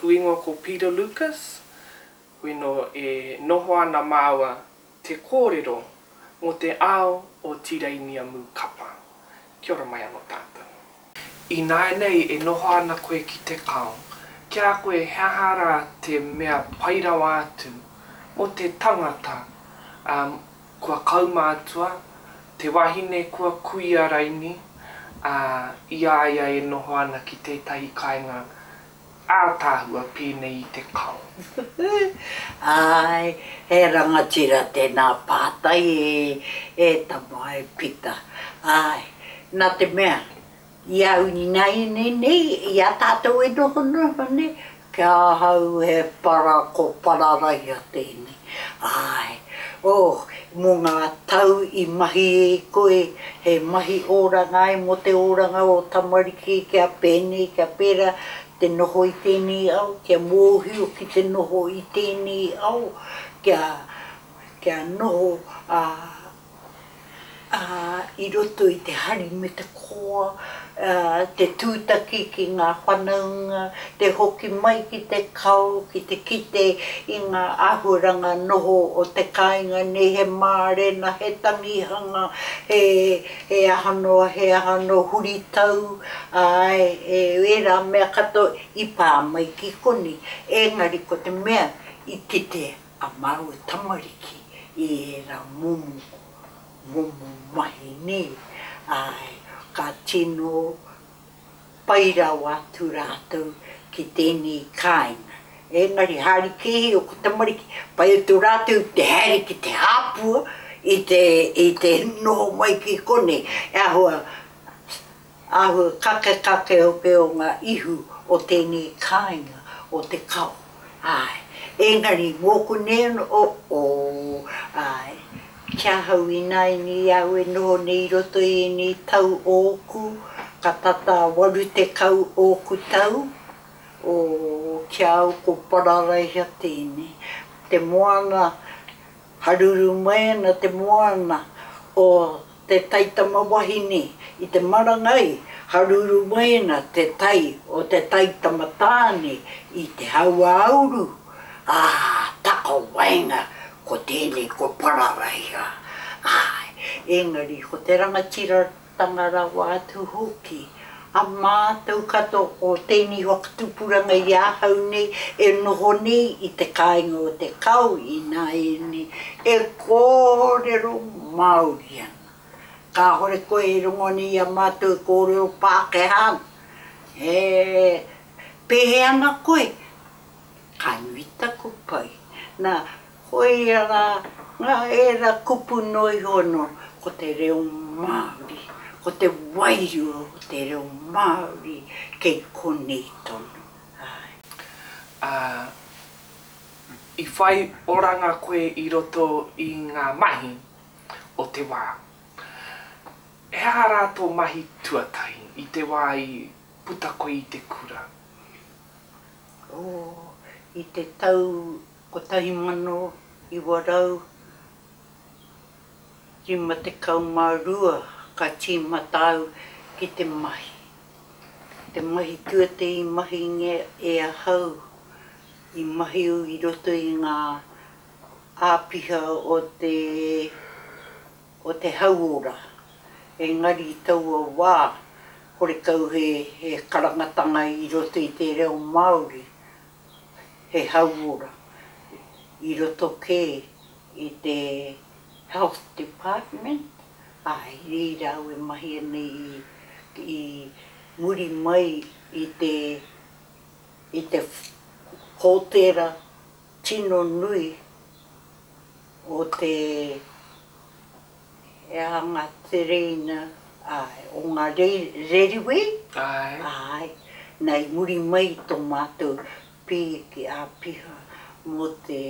Tōku ingoa ko Peter Lucas, weno e noho ana māua te kōrero mō te ao o Tireinia Mūkapa. Kia ora mai anō tātou. Ināianei e noho ana koe ki te kao, ki a koe he aha rā te mea pai rawa atu mō te tangata, ā, kua kaumātua, te wahine kua kuia raini, ā, i a ia e noho ana ki tētahi kāinga ātaahua pēnei i te kao. Āe, he rangatira tēnā pātai e, e tama e Pita. Āe, nā te mea, I au ināianei nei, i a tātou e noho noho nei, ki a ahau he para ko Pararaiha tēnei. Āe, oh, mō ngā tau i mahi e koe, he mahi oranga ai mō te oranga o tamariki kia pēnei, kia pērā, te noho i tēnei ao, kia mōhio ki te noho i tēnei ao, kia, kia noho, ā, ā, i roto i te hari me te koa, ā, te tūtaki ki ngā whanaunga, te hoki mai ki te kao, ki te kite i ngā āhuaranga noho o te kāinga nei, he mārena, he tangihanga, he, he aha noa, he aha noa, huritau, āe, e, ērā mea katoa i pā mai ki konei. Engari ko te mea i kite a māua tamariki i ērā momo, momo mahi nei, āe, ka tino pai rawa atu rātou ki tēnei kāinga. Engari haere kē ōku tamariki, pai atu rātou te haere ki te hāpua i te, i te noho mai ki konei, e āhua Āhua kakekake hoki o ngā ihu o tēnei kāinga o Te Kao. Āe. Engari mōku nei anō, oh, āe, ki ahau ināianei au e noho nei i roto i ēnei tau ōku, ka tata 80 ōku tau, oh, ki a au ko Pararaiha tēnei. Te moana, haruru mai ana te moana o te taitama wahine i te marangai, haruru mai ana te tai o te taitama tāne i te hauāuru, ā, takawaenga ko tēnei ko Pararaiha. Āe, engari ko te rangatiratanga rawa atu hoki a mātou katoa o tēnei whakatupuranga i ahau nei e noho nei i te kāinga o Te Kao ināianei e kōrero Māori ana. Kāore koe e rongo ana i a mātou e kōrero Pākehā ana. E pēhea ana koe? Ka nui taku pai. Nā, koia rā ngā ērā kupu noa iho anō, ko te reo Māori, ko te wairua o te reo Māori kei konei tonu. Āe. Ā, i whai oranga koe i roto i ngā mahi o te wā. He aha rā tō mahi tuatahi i te wā i puta koe i te kura? Oh, i te tau 1952 ka tīmata au ki te mahi. Te mahi tuatahi i mahingia e ahau, i mahi au i roto i ngā āpiha o te o te hauora, engari i taua wā horekau he he karangatanga i roto i te reo Māori, he hauora i roto kē i te Health Department, ā, i reira au e mahi ana i i muri mai i te i te hōtēra tino nui o te he aha ngā tereina, āe, o ngā reriwē, āe, nā i muri mai i tō mātou pīki āpiha mō te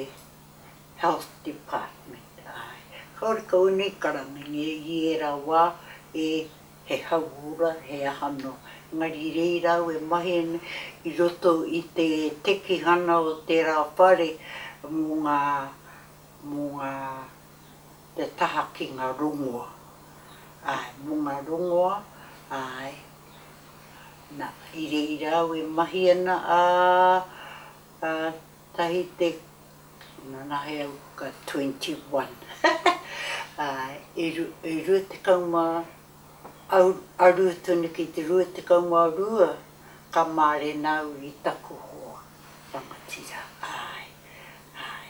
Health Department, āe. Kāore kau nei karangangia i ērā wā e he hauora, he aha noa. Engari i reira au e mahi ana i roto i te tekihana o tērā whare mō ngā, mō ngā, te taha ki ngā rongoa. Āe, mō ngā rongoa, āe. Nā, i reira au e mahi ana, ā, Tahi te, nanahe au ka 21, āe, e 20 aru tonu ki te 22 ka mārena au i taku hoa rangatira, āe, āe.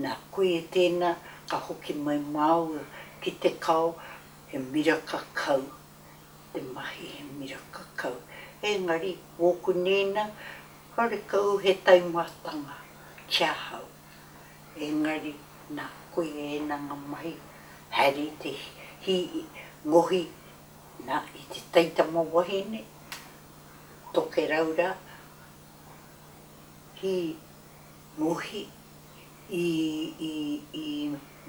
Nā, koia tēnā ka hoki mai māua ki te kao, he miraka kau te mahi, he miraka kau. Engari, wōku nēnā, Horekau he taumahatanga ki ahau, engari na koia ena nga mahi haere i te hi ngohi na i te taitama wahine, Tokerau ra, hi ngohi i i i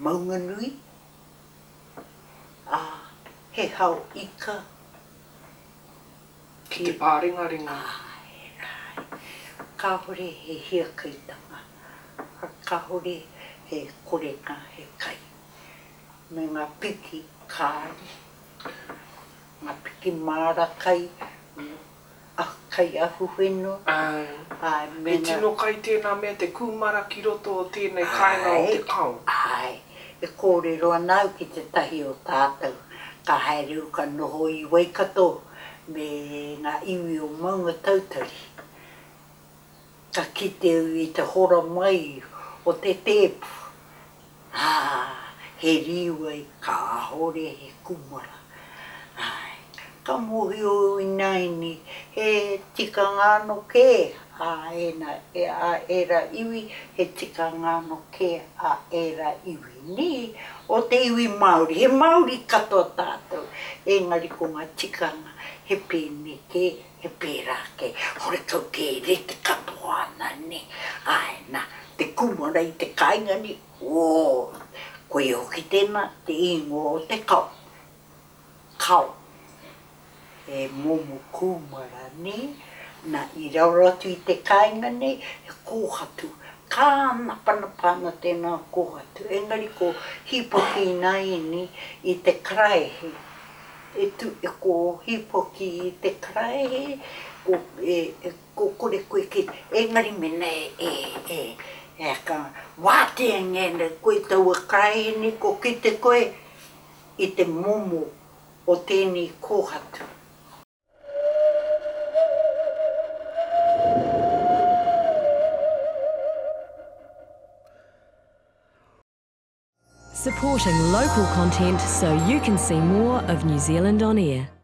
Maunganui, a he hao ika. Ki te pārengarenga. Āe, āe. Kāore he hiakaitanga, kāore he korenga he kai. Me ngā piki kāri, ngā piki māra kai, kai ahuwhenua. Āe. Āe, me ngā. He tino kai tēnā mea te kūmara ki roto o tēnei kāinga o te kao. Āe, e kōrero ana au ki tētahi o tātou, ka haere au ka noho i Waikato me ngā iwi o Maungatautari. Ka kite au i te hora mai o te tēpu, ā, he rīwai kāore he kūmara. Āe, ka mōhio au ināianei he tikanga anō kē ā ēnā, ā ērā iwi, he tikanga anō kē ā ērā iwi. Nē, o te iwi Māori, he Māori katoa tātou, engari ko ngā tikanga he pēnei kē, he pērā kē, horekau kē e rite katoa ana, nē. Āe, nā, te kūmara i te kāinga nei, ō, koia hoki tēnā, te ingoa o te kao. Kao, he momo kūmara, nē, nā, i raro atu i te kāinga nei, he kōhatu, kānapanapa ana tēnā kōhatu, engari ko Hīpoki ināianei i te karaehe, e tū, ko Hīpoki i te karaehe, ko, e, ko kore koe ki, engari mēnā e, e, e, e, ka wātea ngēnei koe taua karaehe nei, ko kite koe, i te momo o tēnei kōhatu. Supporting local content so you can see more of New Zealand On Air.